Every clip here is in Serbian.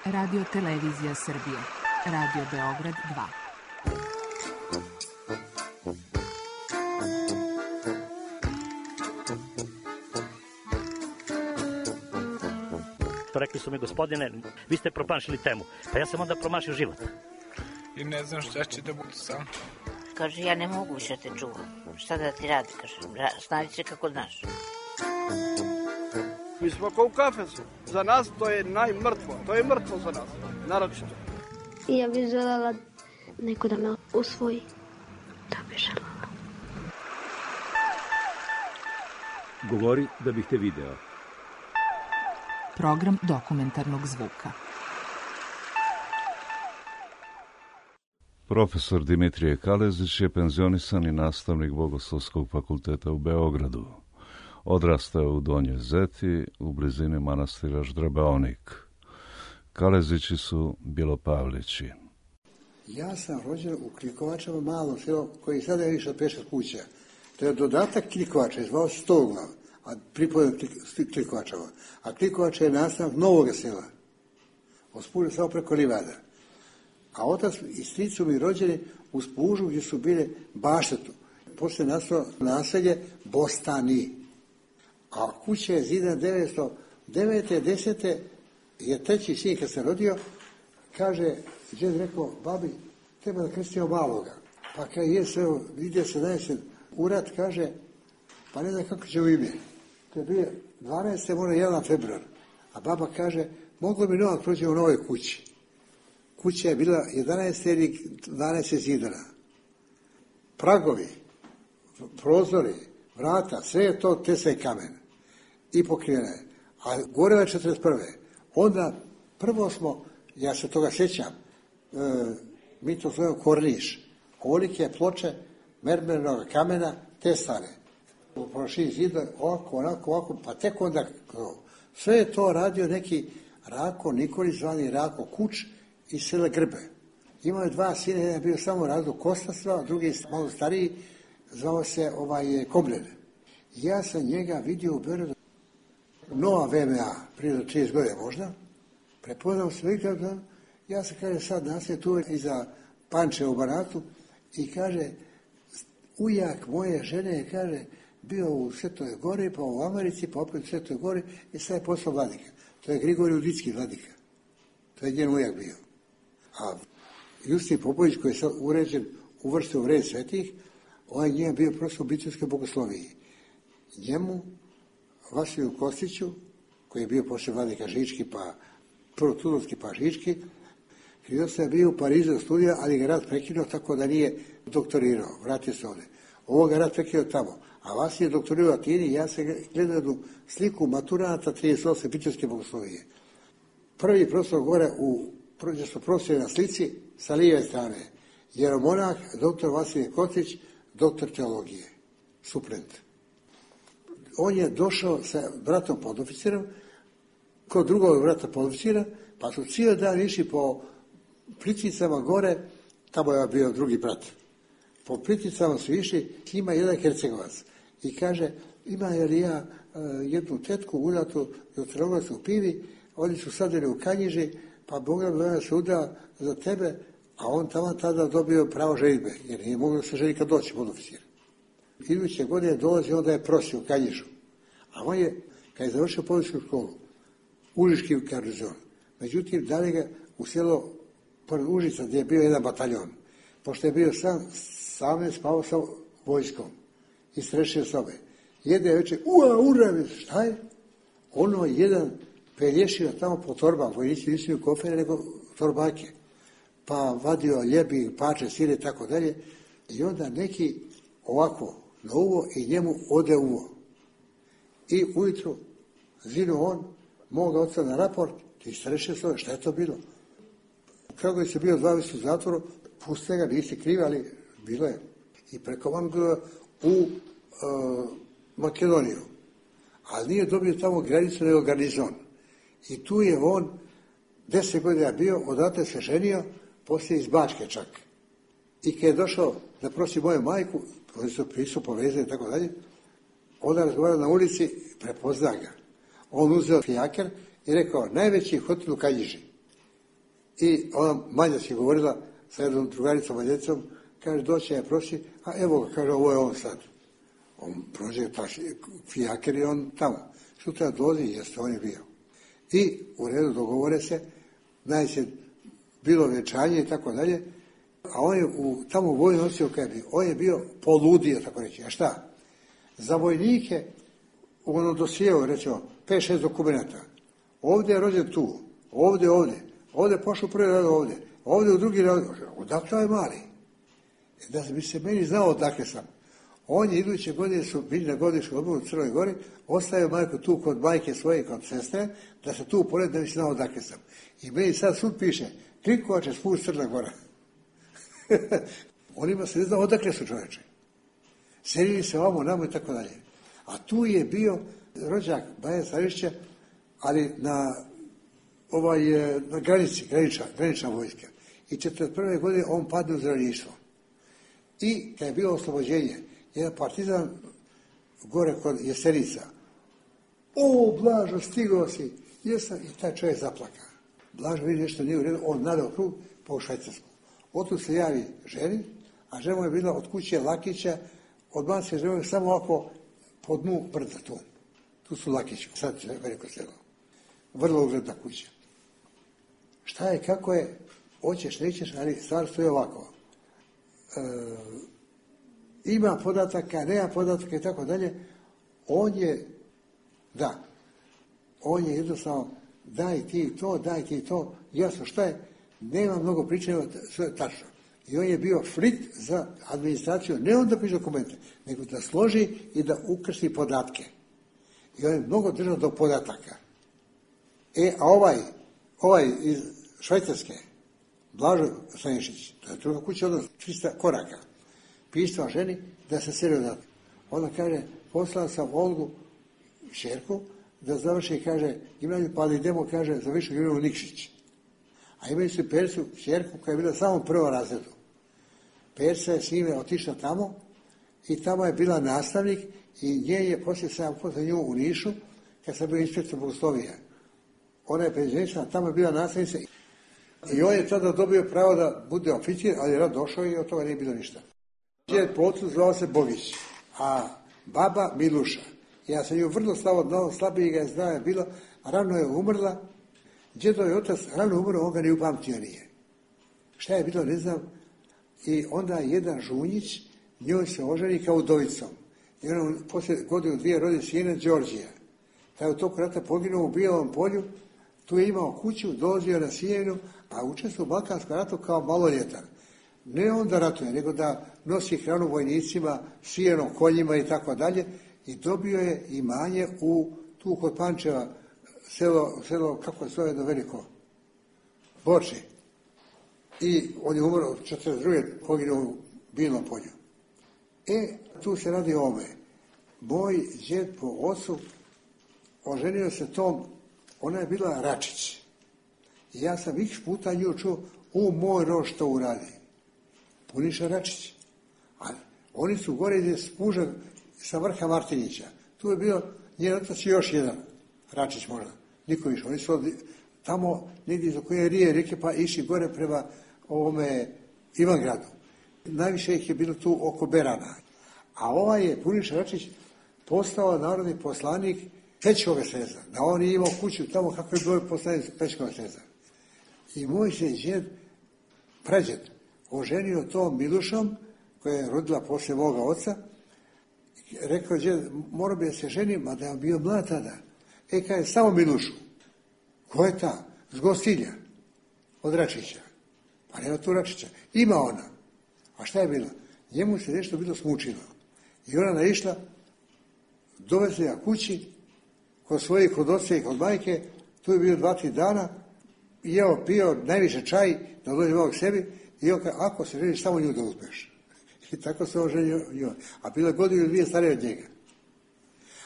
Radio Televizija Srbije. Radio Beograd 2. Rekli su mi, gospodine, vi ste promašili temu. Pa ja sam onda promašio život. I ne znam šta će da budu sam. Kaže, ja ne mogu više te čuvam. Šta da ti radi, kaže, snađi se kako znaš. Mi smo kao u kafesu. Za nas to je najmrtvo. To je mrtvo za nas, naročito. Ja bih želela neko da me usvoji. Da bih želela. Govori da bih te video. Program dokumentarnog zvuka. Profesor Dimitrije Kalezić je penzionisani nastavnik Bogoslovskog fakulteta u Beogradu. Odrastao u Donjoj Zeti, u blizini manastira Ždrebaonik. Kalezići su Bjelopavlići. Ja sam rođen u Klikovačama, malom selu, koji sada je išao 5-6 kuća. To je dodatak Klikovača, zvao se Stoglav, a pripojen Klikovačama. A Klikovača je nastavak Novog sela. Ospužio samo preko livada. A otac i stric su mi rođeni u Spužu gdje su bile Baštetu. Poslije nastalo naselje Bostani. A kuća je zidana 909. 10. je treći sin kad se rodio, kaže, džed rekao, babi, treba da krstimo maloga. Pa kad je sve, vidio se najesen urat, kaže, pa ne znam kako će u ime. To je bio 12. možda 1. februar. A baba kaže, moglo bi novak proći u novoj kući. Kuća je bila 11 ili 12 zidana. Pragovi, prozori, vrata, sve je to tesla i kamen. I pokrivena je. A gore je 41. Onda prvo smo, ja se toga sjećam, mi to zovemo korniš. Kolike ploče mermernog kamena, testane. U prošli zidoj, ovako, pa tek onda sve je to radio neki Rako Nikolić, zvani Rako Kuč iz sela Grbe. Imao je 2 sina, jedan je bio samo razlog Kostastva, a drugi malo stariji, zvao se Komljen. Ja sam njega vidio u Beogradu, nova VMA, prije do 30 godina možda, prepoznao se vidjeti, ja se kaže sad naslije tu iza Panče u Banatu i kaže, ujak moje žene, kaže, bio u Svetoj Gori, pa u Americi, pa opet u Svetoj Gori i sad je postao vladika. To je Grigorij Udicki vladika. To je njen ujak bio. A Justin Popović, koji je sad uređen, uvrstio u red svetih, on je njega bio profesor u Bitrovskoj bogosloviji. Njemu, Vasiliju Kostiću, koji je bio poslije vladika Žički, pa prvo Tudorski pa Žički, Hridosta je bio u Parizu studija, ali ga rat prekinuo tako da nije doktorirao, vratio se ovdje. Ovo ga rat prekinuo tamo. A Vasilij je doktorirao u Atini, ja sam gledao jednu sliku maturanata 38. Bitrovske bogoslovije. Prvi profesor gore gdje su profesori na slici sa lijeve strane. Jeromonah, doktor Vasilij Kostić, doktor teologije, suplent. On je došao sa bratom podoficirom, kod drugog brata podoficira, pa su cijeli dan išli po Plitvicama gore, tamo je bio drugi brat. Po Plitvicama su išli, ima jedan Hercegovac i kaže, ima li ja jednu tetku udatu u Crnogorskoj pivi, oni su sadili u Kanjiži, pa Boga bi ona se udala za tebe, a on tamo tada dobio pravo ženitbe, jer nije moglo se ženiti kad doći podoficir. Iduće godine dolazi, onda je prosio u Kanjižu. A on je, kad je završio policijsku školu, Užički garnizon. Međutim, dali ga u selo pored Užica, gdje je bio jedan bataljon. Pošto je bio sam je spavao sa vojskom i strešio sobe. Jede večer, ura, šta je? Ono jedan pelješio tamo po torbama, vojnici nisu imali kofere, nego torbake. Pa vadio ljebi, pače, sire, tako dalje. I onda neki ovako na uvo i njemu ode uvo. I ujutru zinu on, moga oca na raport, ti strešio sobe, šta je to bilo? Kako je se bio 2 mjeseca u zatvoru, puste ga, nisi krivi, ali bilo je. I preko van bilo u Makedoniju. Ali nije dobio tamo granicu, nego garnizon. I tu je on 10 godina bio, odatle se ženio, poslije iz Bačke čak. I kad je došao da prosi moju majku, oni su prisu povezani i tako dalje, onda razgovarao na ulici, prepozna ga. On uzeo fijaker i rekao, najveći hotel u Kanjiži. I ona mađarski govorila sa jednom drugaricom Mađaricom, kaže, doći je prosi, a evo ga, kaže, ovo je on sad. On prođe fijaker i on tamo. Sutra dolazi, jeste, on je bio. I u redu dogovore se, najče bilo vjenčanje i tako dalje, a on je tamo u vojnu nosio kaj je bio. On je bio poludio, tako reći. A šta? Za vojnike u onom dosijeu, rećemo, 5-6 dokumenta. Ovdje je rođen tu, ovdje pošao prvi rad ovdje u drugi rad, odakle je mali. Da bi se meni znao odakle sam. On je iduće godine su bili na godišnjem odmoru u Crnoj Gori, ostavio majku tu kod majke svoje i kod sestre, da se tu pored da bi se znao odakle sam. I meni sad sud piše, Klikovače spust Crna Gora. Onima se ne zna odakle su čoveče. Selili se ovamo, namo i tako dalje. A tu je bio rođak Baja Starišća, ali na granici, granična vojska. I 1941. godine on padne u zdravljištvo. I kad je bilo oslobođenje, jedan partizan gore kod Jesenica, o, Blažo, stigao si, jesam, i taj čovjek zaplaka. Blažo vidi nešto nije u redu, on nadao krug po Švajcarsku. Otud se javi ženi, a žena je bila od kuće Lakića, odmah se žena samo ovako po dnu brda tu. Tu su Lakići, sad je veliko selo. Vrlo ugledna kuća. Šta je, kako je, hoćeš, nećeš, ali stvar stoji ovako. Ima podataka, nema podataka i tako dalje. On je jednostavno daj ti to, jasno šta je, nema mnogo pričanja, sve je tačno. I on je bio flit za administraciju, ne on da piše dokumente, nego da složi i da ukrsti podatke. I on je mnogo držao do podataka. A ovaj iz Švajcarske, Blažo Stanišić, to je druga kuća od 300 koraka, pisao ženi da se seli odatle. Ona kaže, poslala sam Olgu, šerku, da završi, kaže, gimnaziju, pa ali idemo, kaže, za višu gimnaziju Nikšić. A imali su Persu, šerku, koja je bila samo u prvom razredu. Persa je s njime otišla tamo i tamo je bila nastavnik i nje je poslije sam upoznao nju u Nišu, kad sam bio inspektor Bogoslovija. Ona je penzionisana, tamo je bila nastavnica i on je tada dobio pravo da bude oficir, ali je rad došao i od toga nije bilo ništa. Djed po ocu zvao se Bogić, a baba Miluša. Ja sam ju vrlo slabiji ga je znao je bilo, rano je umrla, djedov je otac rano umrlo, on ga ne upamtio nije. Šta je bilo, ne znam, i onda jedan Žunjić, njoj se oženi kao udovicom. I ona poslije godinu dvije rodi sina Đorđija. Taj u toku rata poginuo u Bijelom polju, tu je imao kuću, dolazio na Sijenu, a učestvovao u Balkanskom ratu kao maloljetan. Ne onda ratuje, nego da nosi hranu vojnicima, sijenom, konjima i tako dalje. I dobio je imanje tu kod Pančeva, selo kako se zove do veliko, Borči. I on je umro od 1942. poginuo u Bijelom polju. Tu se radi o ovome. Moj djed po ocu oženio se tom, ona je bila Račić. I ja sam x puta nju čuo, moj rož što uradi. Puniša Račić. A oni su gore gdje spuža sa vrha Martinića. Tu je bio njen otac i još jedan, Račić možda, niko više. Oni su tamo negdje za koje rijeke pa išli gore prema ovome Ivangradu. Najviše ih je bilo tu oko Berana. A ovaj je Puniša Račić postao narodni poslanik Pečkove sreza. Da on je imao kuću tamo kako je bio poslanik Pečkove sreza. I moj se djed, prađed, oženio tom Milušom, koja je rodila poslije moga oca. Rekao djed, morao bi da se ženim, a da je bio mlad tada. Kaže, samo Milušu. Ko je ta? S Gostilja. Od Račića. Pa nema tu Račića. Ima ona. A šta je bilo? Njemu se nešto bilo smučilo. I ona naišla, dovezli ga kući, kod svojih, kod oca i kod majke, tu je bio 2-3 dana, i pio najviše čaj, da dođe malo k sebi, i on kaže, ako se želiš, samo nju da uzmeš. I tako se on ženio nju. A bila je godinu 2 starije od njega.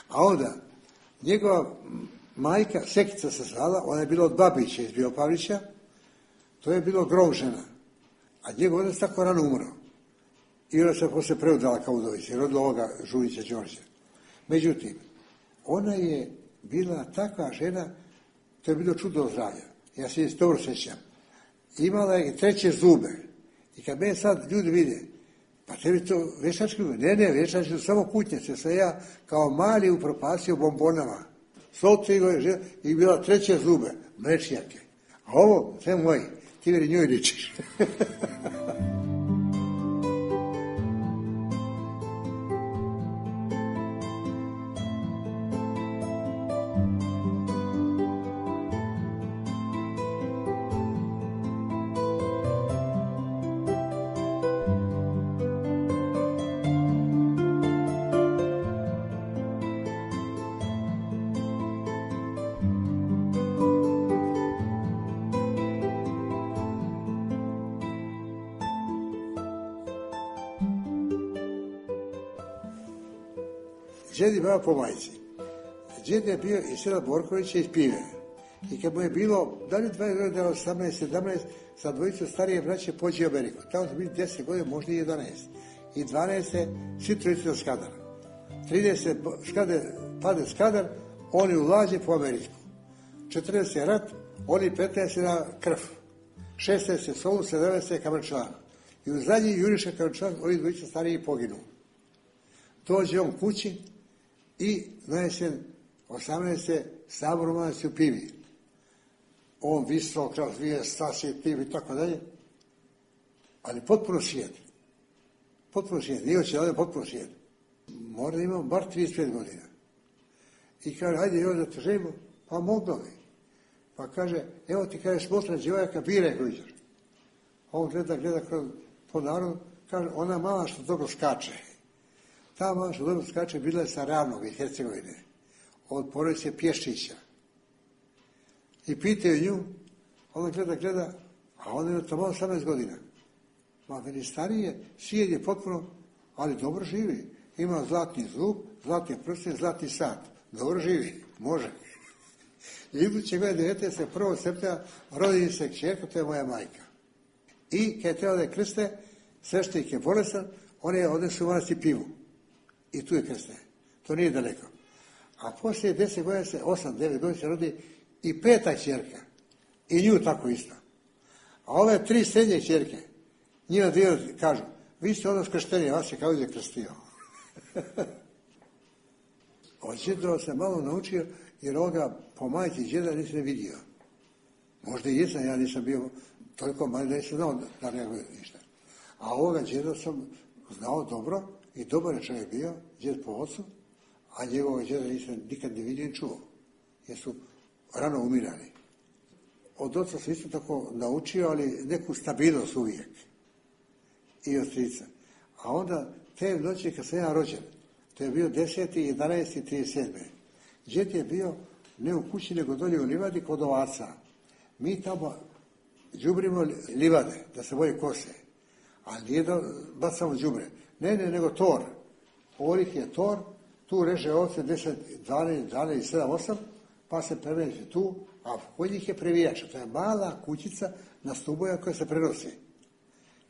A onda, njegova majka, Sekica se zvala, ona je bila od Babića iz Biopavlića, to je bilo Gromžena. A njegov otac tako rano umro. I ona se poslije preudala kao udovica i rodila ovoga Žunića Đorđa. Međutim, ona je bila takva žena, to je bilo čudo zdravlja. Ja se dobro sjećam. imala je 3 zube. I kad me sad ljudi vide, pa tebi to veštački zube? Ne, veštački su samo kutnjace. Sam ja kao mali upropasio bombonama. I bila 3 zube, mlečnjake. A ovo, sve moji, ti veri njoj ličiš. Džed je bio po majci. Džed je bio iz sela Borkovića iz Pive. I kad mu je bilo, da li 20 godina, 18, 17, sa dvojicom starije braće pođe u Ameriku. Tamo su bili 10 godina, možda i 11. I 12. svi trojice na Skadar. 30. pade Skadar, oni ulaze po Ameriku. 14. rat, oni 15. na Krf. 16. Solu, 17. Kamančan. I u zadnji juriša Kamančan, ovi dvojice stariji poginu. Dođe on kući i na jesen 18. sabor u Pivi. On visok, razvije, stasije, piv i tako dalje. Ali potpuno šijed. Potpuno šijed. Nije hoće da potpuno šijed. Mora da imamo bar 35 godina. I kaže, hajde još da te želimo, pa mognovi. Pa kaže, evo ti kaže, smotra djevojaka, biraj koju ćeš. On gleda po narodu, kaže, ona mala što dobro skače. Ta mala što dobro skače bila je sa Ravnog iz Hercegovine, od porodice Pješčića. I pitaju nju, ona gleda, a ona je tamo 18 godina. Ma meni starije, sijed je potpuno, ali dobro živi. Ima zlatni zub, zlatni prsten, zlatni sat. Dobro živi, može. I iduće godine 1. septembra rodi se kćerka, to je moja majka. I kad je trebalo da je krste, sveštenik je bolestan, oni odnesu u manastir Pivu. I tu je krste. To nije daleko. A poslije 10 godina se, 8-9 godina se rodi i 5. kćerka. I nju tako isto. A ove 3 srednje kćerke, njima dio kažu, vi ste odnos krštenije, vas je kao je krstio. Od džedova sam malo naučio, jer ovoga po majci džeda nisam vidio. Možda i jesam, ja nisam bio toliko mali da nisam znao da reaguje ništa. A ovoga džeda sam znao dobro i dobar je čovjek bio, džed po ocu, a njegovoga džeda nisam nikad ne vidio i čuo, jer su rano umirali. Od oca sam isto tako naučio, ali neku stabilnost uvijek. I od strica. A onda, te noći kad sam ja rođen, to je bio 10. 11. 37. Džed je bio ne u kući, nego dolje u livadi kod ovaca. Mi tamo đubrimo livade, da se boje kose. Ali nije da bacamo đubre. Ne, nego tor. Orih je tor, tu reže ovce 10, 12, 7, 8, pa se preveže tu, a kod njih je previjač. To je mala kućica na stuboja koja se prenosi.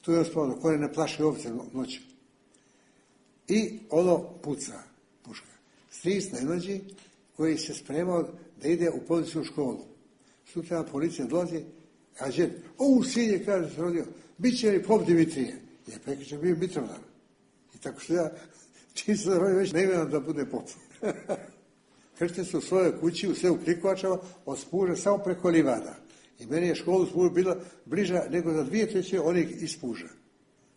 Tu je ospavno, koje ne plaši ovce noću. I ono puca, puška. Stric na ilođi koji se spremao da ide u policijsku školu. Sutra policija dolazi, a džed, sinje, kaže se rodio, bit će li pop Dimitrije? Jer prekriče bio Mitrovdan. I tako što ja, čim se rodio već ne imam da bude pop. Kršten su u svojoj kući, u selu Krikovačava, od Spuža samo preko livada. I meni je školu Spuža bila bliža nego za 2/3 onih iz Spuža.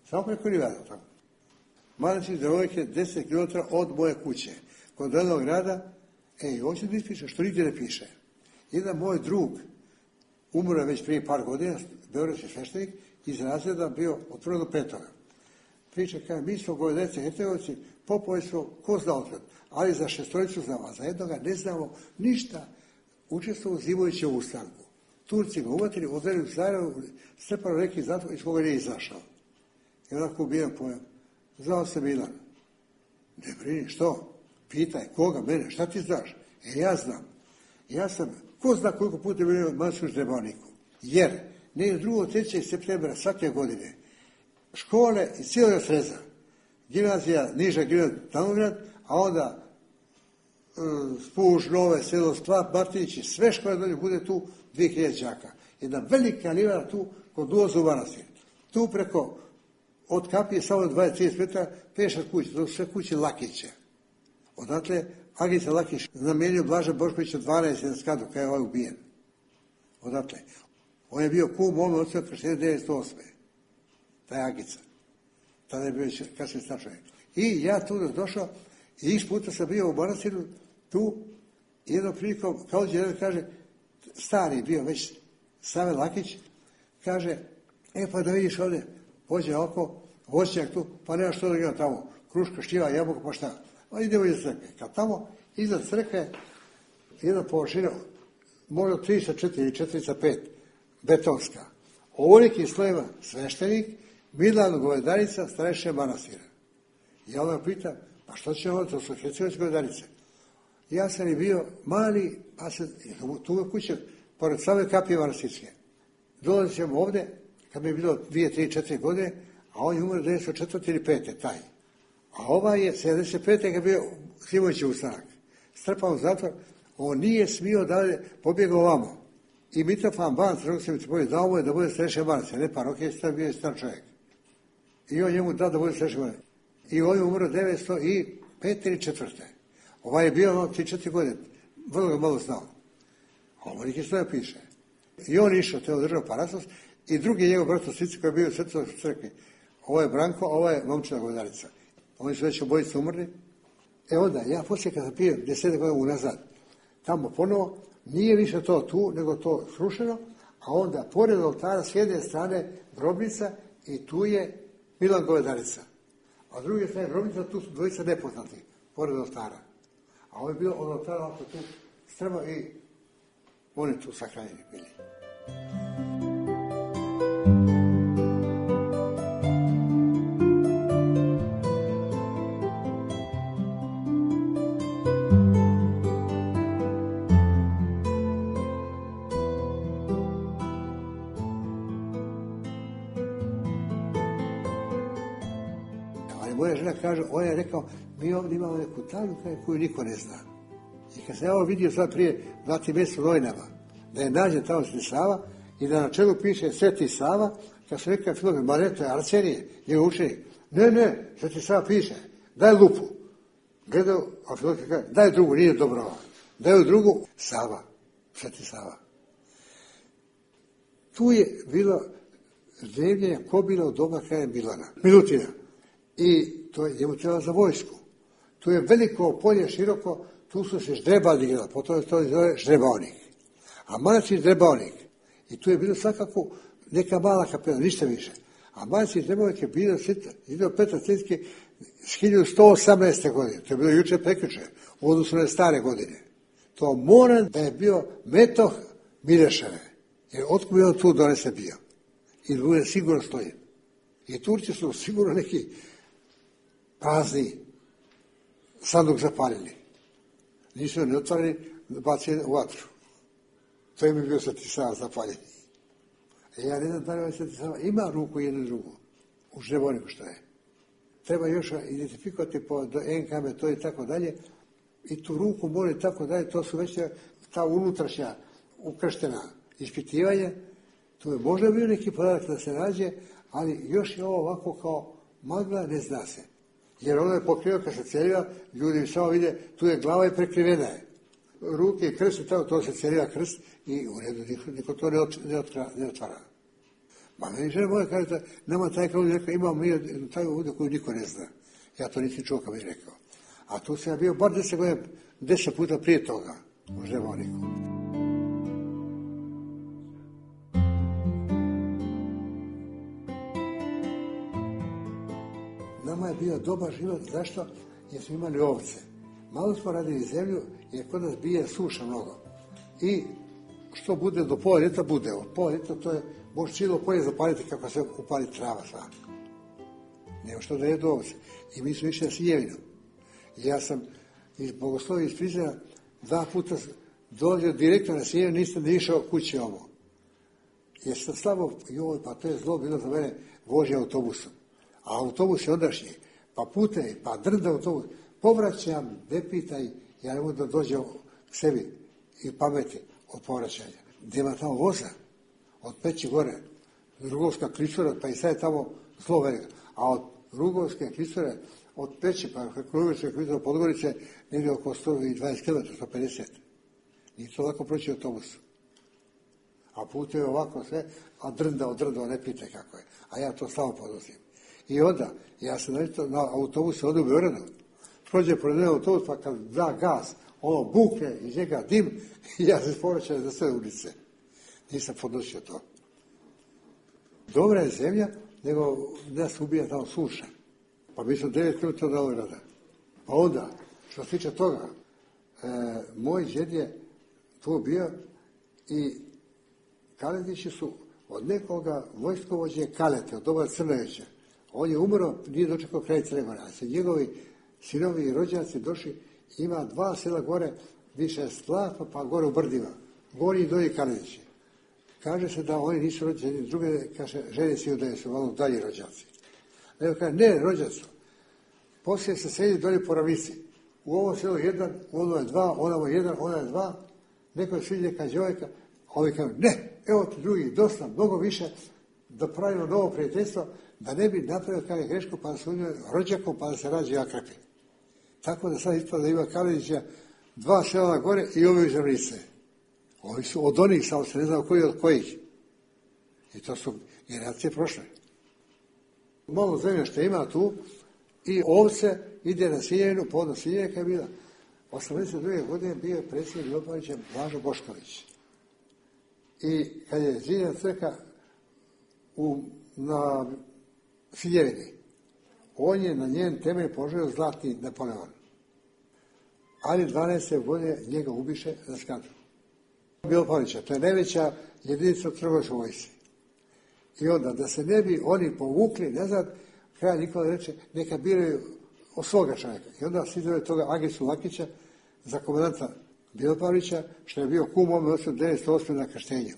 Samo preko livada, tako. Manastir Devojke 10 km od moje kuće. Kod Delnog grada, hoće da ispiše, što nigdje ne piše. Jedan moj drug, umro već prije par godina, beogradski sveštenik, iz razreda bio od 1. do 5. Priča kaže, mi smo Govedece, Hercegovci, popovi smo, ko zna otkad, ali za 6 znamo, a za jednoga ne znamo ništa. Učestvovao Zivovića u ustanku. Turci ga uvatili, odveli u Sarajevo, strpano neki zatvor iz koga nije izašao. I onako ubijen pojam. Zvao se Milan. Ne brini, što? Pitaj, koga, mene, šta ti znaš? Ja znam. Ja sam, ko zna koliko puta je bio Mansuš Trebavniku. Jer, ne 2. 3. septembra svake godine, škole iz cijelog sreza, gimnazija, niža gimnazija, Tanograd, a onda Spuž, Nove, Selo, Sklap, Martinić i sve škole dolje bude tu 2000 đaka. jedna velika livada tu kod ulaza u manastir. Tu preko, od kapije samo 20-30 metara, 5-6 kuće, to su sve kuće Lakića. Odatle, Agica Lakić namijenio Blaža Boškovića 12 na skadu, kada je ovaj ubijen. Odatle. On je bio kum mome oca krštenja 1908. Taj Agica. Tada je bio već kasnije star čovjek. I ja tu došao i x puta sam bio u manastiru, tu, jednom prilikom, kao jedan kaže, stari bio već Save Lakić, kaže, pa da vidiš ovdje, pođe oko, voćnjak tu, pa nema što da ima tamo, kruška, šljiva, jabuka, pa šta. Pa idemo iza crkve. Kad tamo, iza crkve, jedna površina, možda 3-4 ili 4-5, betonska. Ovoliki slojeva sveštenik, Milan Govedarica, starešće manastira. Ja onda pitam, pa što će ovo, to su Hercegovačke Govedarice. Ja sam i bio mali, pa se, tu je kuća, pored same kapije manastirske. Dolazit ćemo ovdje, kad mi je bilo 2, 3, 4 godine, a on je umro 1904. ili 5. taj. A ovaj je 75. kad je bio Simović ustanak. Strpao u zatvor, on nije smio dalje, pobjegao ovamo. I Mitrofan Banc, rekao se mi ti dao mu je da bude starešća manastira, ne parohije, bio je star čovjek. I on njemu dao da bude starešća manastira. I on je umro 905. ili 4. Ovaj je bio 3-4 godine, vrlo ga malo znao. A ovo neki stoja piše. I on išao, te održao Parasos, i drugi njegov brat u Svici koji je bio u Svetoj crkvi. Ovo je Branko, ovo je Momčina Govedarica. Oni su već obojice umrli. Onda, ja poslije kada sam pio 10 godina unazad, tamo ponovo, nije više to tu, nego to srušeno, a onda pored oltara s jedne strane grobnica i tu je Milan Govedarica. A s druge strane grobnica, tu su dvojica nepoznati, pored oltara. A ovo je bilo od oltara oko tu strmo i oni tu sahranjeni bili. Moja žena kaže, on je rekao, mi ovdje imamo neku tajnu koju niko ne zna. I kad sam ja ovo vidio sad prije 2 mjeseca u novinama, da je nađen tamo Sveti Sava i da na čelu piše Sveti Sava, kad sam rekao Filogor, ma ne, to je Arsenije, njegov učenik. Ne, Sveti Sava piše, daj lupu. Gledao, a Filogor kaže, daj drugu, nije dobro. Daj drugu, Sava, Sveti Sava. Tu je bilo zemljenja kobila u doba kraja Milutina. I to je njemu trebalo za vojsku. Tu je veliko polje, široko, tu su se ždrebali igrali, potom je to zove ždrebaonik. A manastir ždrebaonik. I tu je bilo svakako neka mala kapela, ništa više. A manastir ždrebaonik je bilo Petar Cetski s 1118. godine. To je bilo juče prekjuče, u odnosu na stare godine. To mora da je bio metoh Mileševe. Jer otkud je on tu donese bio. I bude sigurno stoji. I Turci su sigurno neki prazni sanduk zapalili. Nisu ne otvorili, bacili u vatru. To je mi bio Sveti Sava zapaljeni. Ja ne znam da li Sveti Sava ima ruku jednu drugu u ždreboniku što je. Treba još identifikovati po NK metodi i tako dalje. I tu ruku mora i tako dalje. To su već ta unutrašnja ukrštena ispitivanja. Tu je možda bio neki podatak da se nađe, ali još je ovo ovako kao magla, ne zna se. Jer ono je pokrivao kad se celiva, ljudi samo vide, tu je glava i prekrivena je. Ruke i krst i tako, to se celiva krst i u redu, niko to ne otvara. Ma meni žena moja kaže, nama taj kao rekao, imamo mi taj ovdje koju niko ne zna. Ja to nisam čuo kao mi rekao. A tu sam ja bio bar 10 godina, 10 puta prije toga u ždreboniku. Nama je bio dobar život, zašto? Jer smo imali ovce. Malo smo radili zemlju, jer kod nas bije suša mnogo. I što bude do pola ljeta, bude. Od pola ljeta to je, može cijelo polje zapaliti kako se upali trava sva. Nema što da jedu ovce. I mi smo išli na Sinjevinu. I ja sam iz Bogoslovije iz Prizrena 2 puta dolazio direktno na Sinjevinu, nisam da išao kući ovo. Jer sam slabo, joj, pa to je zlo bilo za mene vožnja autobusom. A autobus je ondašnji, pa putaj, pa drda autobus. Povraćam, ne pitaj, ja ne mogu da dođem k sebi i pameti od povraćanja. Gdje ima tamo voza? od Peći gore, Rugovska klisura, pa i sad je tamo zlo veliko. A od Rugovske klisure, od Peći, pa Rugovske klisure Podgorice, negdje oko 120 km, 150. Nije to lako proći autobusu. A put je ovako sve, a drndao, ne pitaj kako je. A ja to samo podnosim. I onda, ja sam na autobusu odu u Beogradu, prođe pored mene autobus, pa kad da gas, ono bukne iz njega dim, i ja se povraćam za sve ulice. Nisam podnosio to. Dobra je zemlja, nego nas ubija tamo suša. Pa mi smo 9 km od Beograda. Pa onda, što se tiče toga, moj djed je tu bio i Kaletići su od nekoga vojskovođe Kalete, od doba Crnojevića. On je umro, nije dočekao kraj Crne Gore. Ali se njegovi sinovi i rođaci došli, ima 2 sela gore, više Slapa, pa gore u Brdima. Gori i dolji Kaletići. Kaže se da oni nisu rođeni, druge, kaže, žene si da su malo dalji rođaci. Nego kaže, ne, rođaci. Poslije se sedi dolje po ravnici. U ovom selu 1, u ono je 2, onamo 1, ona je 2. Neko je sviđa neka djevojka, a ovi kažu, ne, evo ti drugi, dosta, mnogo više, da pravimo novo prijateljstvo, da ne bi napravio kada je grešku, pa da se unio rođakom, pa da se rađe akrapi. Tako da sad ispada da ima Kaletića 2 sela gore i ovi iz ravnice. Ovi su od onih, samo se ne znao koji od kojih. I to su generacije prošle. Malo zemlje što ima tu i ovce ide na Sinjevinu, podno Sinjevika je bila. 82. godine bio je predsjednik Milopalića Blažo Bošković. I kad je zidana crkva na Sinjevini, on je na njen temelj poželio zlatni Napoleon. Ali 12. godine njega ubiše za skandal. Milopalića, to je najveća jedinica u Crnogorskoj vojsci. I onda, da se ne bi oni povukli nazad, kralj Nikola reče, neka biraju od svoga čovjeka. I onda se izvore toga Agicu Lakića za komandanta Milopalića, što je bio kum ome 1908. na krštenju,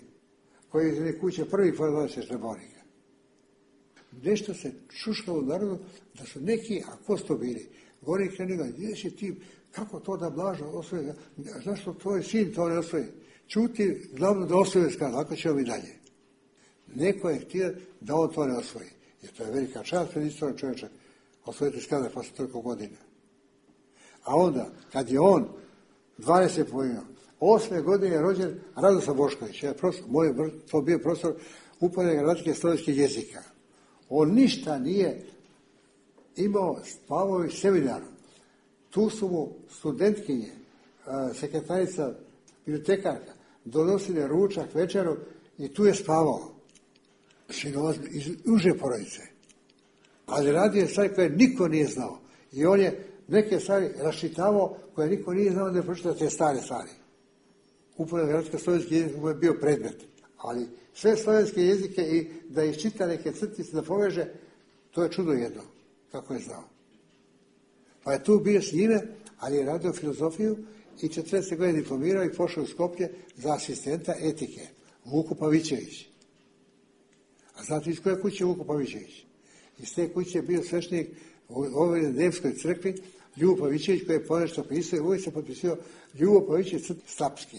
koji je iz jedne kuće prvi kvadralice Štrebornika. Nešto se šuškalo u narodu da su neki, a ko su to bili, gori krenuga, gdje si ti, kako to da Blažo osvoje, zašto tvoj sin to ne osvoje? Čuti, glavno da osvoje skaz, ako ćemo mi dalje. Neko je htio da on to ne osvoji. Jer to je velika čast pred istorijom čovječa osvojiti skada posle toliko godina. A onda, kad je on 20 pojena, 8. godine je rođen Radoslav Bošković. To bio profesor uporedne gramatike slovenskih jezika. On ništa nije imao spavao i seminaru. Tu su mu studentkinje, sekretarica, bibliotekarka, donosile ručak, večeru i tu je spavao. Iz uže porodice. Ali radio je stvari koje niko nije znao. I on je neke stvari raščitavao koje niko nije znao da je pročitao te stare stvari. Uporedna gramatska slovenski jezik mu je bio predmet. Ali sve slovenske jezike i da iščita neke crtice, da poveže, to je čudo jedno, kako je znao. Pa je tu bio s njime, ali je radio filozofiju i 40 godine diplomirao i pošao u Skoplje za asistenta etike. Vuko Pavićević. A znate iz koje kuće Vuko Pavićević? Iz te kuće je bio sveštenik u ovoj Nevskoj crkvi, Ljubo Pavićević, koji je ponešto pisao i uvijek se potpisao Ljubo Pavićević Slapski.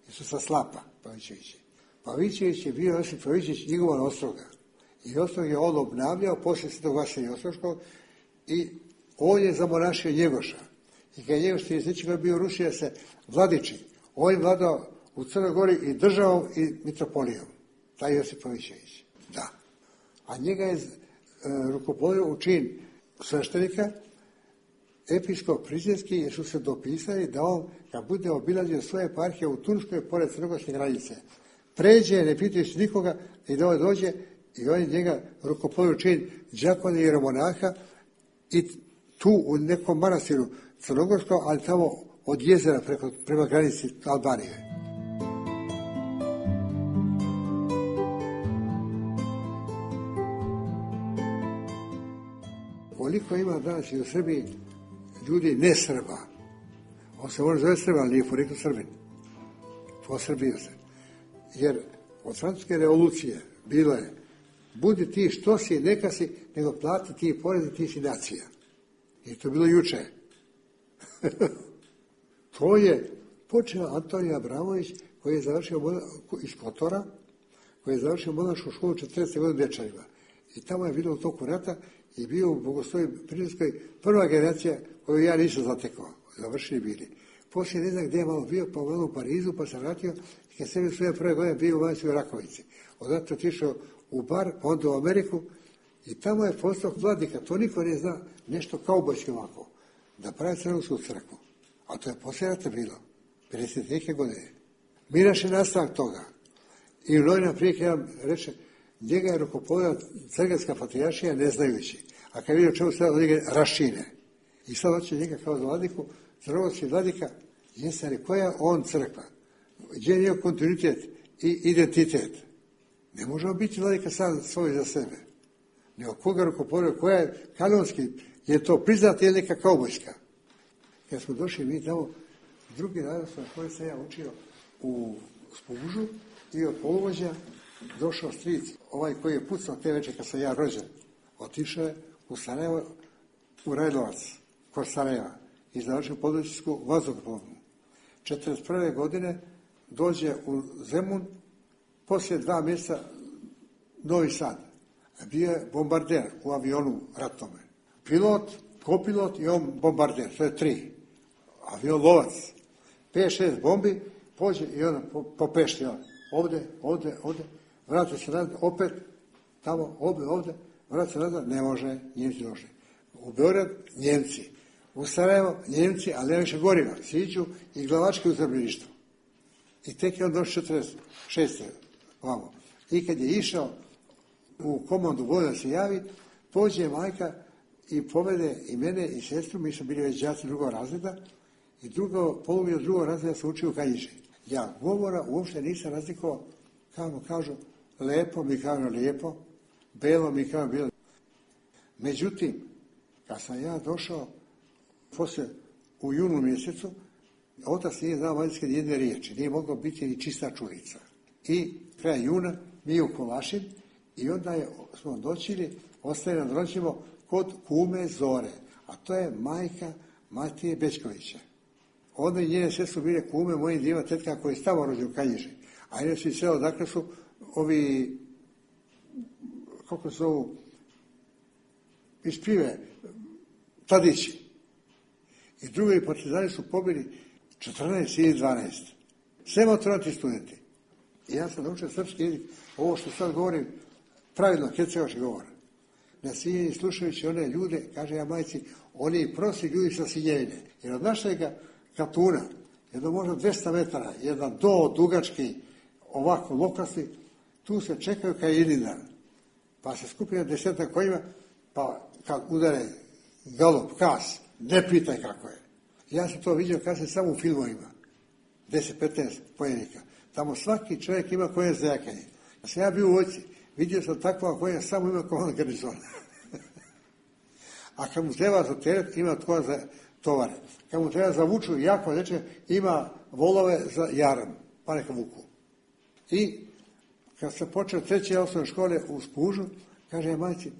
Jesu sa Slapa Pavićevići. Pavićević je bio Josip Pavićević njegovan ostroga. I ostrog je on obnavljao poslije Svetog Vasilija Ostroškog i on je zamonašio Njegoša. I kad je Njegoš 30 bio rušio se Vladiči. On je vladao u Crnoj Gori i državom i mitropolijom. Taj Josip Pavićević. Da. A njega je rukovodio u čin sveštenika, episkop Prizrenski, jer su se dopisali da on, kad bude obilazio svoje eparhije u Turskoj, pored crnogorske granice, pređe, ne pitajući nikoga, i da on dođe i on je njega rukovodio u čin đakona i jeromonaha i tu u nekom manastiru crnogorskom, ali tamo od jezera prema granici Albanije. Koliko ima danas i u Srbiji ljudi ne Srba. On se može zove Srba, ali nije poreklo Srbin. Posrbio se. Jer od francuske revolucije bilo je budi ti što si, neka si, nego plati ti porez i ti si nacija. I to je bilo juče. To je počeo Antonij Abramović, koji je završio iz Kotora, koji je završio monašku školu 40 godina u Dečanima. I tamo je bilo u toku rata i bio u Bogoslovi Prižinskoj prva generacija koju ja nisam zatekao. Završili bili. Poslije ne znam gdje je malo bio, pa malo u Parizu, pa sam vratio i kad sam svoje prve godine bio u Vanjskoj Rakovici. Odatle otišao u bar, pa onda u Ameriku i tamo je postao vladika. To niko ne zna, nešto kaubojski ovako. Da pravi Crnogorsku crkvu. A to je poslije rata bilo. 50 neke godine. Miraš je nastavak toga. I Lojna prije kada nam reče, njega je rukopovodila Crnogorska patrijaršija ne znajući. A kad vidio čemu se od njega raščine. I sad hoće njega kao vladiku, crnogorski vladika, jesari, koja je on crkva? Gdje je njegov kontinuitet i identitet? Ne možemo biti vladika sam svoj za sebe. Nego koga rukopovodila, koja je kanonski, je to priznata ili neka kaubojska? Kad smo došli mi tamo, drugi narod na koji sam ja učio u Spužu i od poluvođa došao stric, ovaj koji je pucao te večer kad sam ja rođen. Otišao je u Sarajevo, u Rajlovac, kod Sarajeva i završio područjsku vazduhoplovnu. 1941. godine dođe u Zemun, poslije 2 mjeseca Novi Sad. Bio je bombarder u avionu ratnome. Pilot, kopilot i on bombarder, to je 3. Avion lovac. 5-6 bombi, pođe i onda popešti on. Ovdje, vrati se nazad, opet, tamo, ovdje, vrati se nazad, ne može, Njemci došli. U Beograd, Njemci. U Sarajevo, Njemci, ali ne više goriva. Siđu i glavački u zarobljeništvu. I tek je on došao 46. Vamo. I kad je išao u komandu vojna da se javi, pođe majka i povede i mene i sestru, mi smo bili već đaci drugog razreda, i poluvio drugog razreda se učio u Kanjiži. Ja govora uopšte nisam razlikovao, kao kažu, lepo mi kažu lijepo, belo mi kažu bilo. Međutim, kad sam ja došao, poslije u junu mjesecu, otac nije znao vanjske jedne riječi, nije mogao biti ni čista čurica. I kraj juna mi u Kovašin i onda smo doćili, ostaje nam doćemo kod kume Zore, a to je majka Matije Bečkovića. Onda i njene sve su bile kume mojim dvijema tetka koji je tamo rođen u Kanjiži. A inače i sve odakle su ovi, kako se zovu, iz Pive, Tadići. I drugi partizani su pobili 14 ili 12. Sve maturanti studenti. I ja sam naučio srpski jezik, ovo što sad govorim, pravilno hercegovački govor. Na Sinjeni slušajući one ljude, kaže ja majci, oni prosi ljudi sa Sinjevine. Jer od našega Katuna, jedno možda 200 metara, jedan do dugački, ovako lokasni, tu se čekaju kao jedin dan. Pa se skupi na 10 konjima, pa kad udare galop, kas, ne pitaj kako je. Ja sam to vidio kad sam samo u filmovima, 10-15 pojenika. Tamo svaki čovjek ima koje za jakanje. Kad sam ja bio u vojsci, vidio sam takva koja samo ima komand garnizona. A kad mu treba za teret, ima tko za tovare. Kad mu treba za vuču jako neče, ima volove za jaram, pa neka vuku. I kad sam počeo 3. osnovne škole u Spužu, kaže ja majci,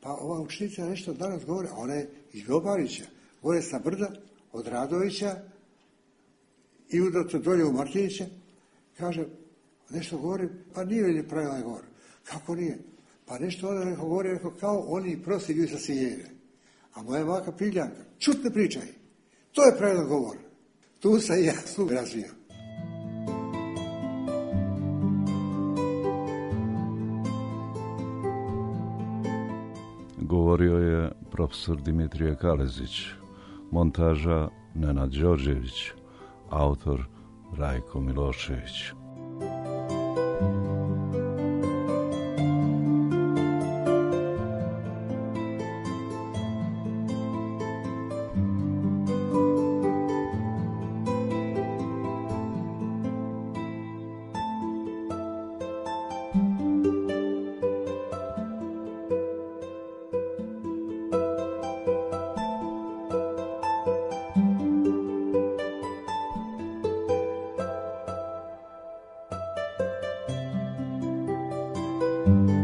pa ova učenica nešto danas govori, a ona je iz Ljubarića, gore sa brda, od Radovića i udato dolje u Martiniće, kaže, nešto govori, pa nije li pravilan govor? Kako nije? Pa nešto onda neko govori, rekao, kao oni prosti ljudi sa Sinjevine. A moja maka Piljanka, čut ne pričaj, to je pravilan govor. Tu sam i ja sluh razvio. Govorio je profesor Dimitrije Kalezić, montaža Nenad Đorđević, autor Rajko Milošević. you.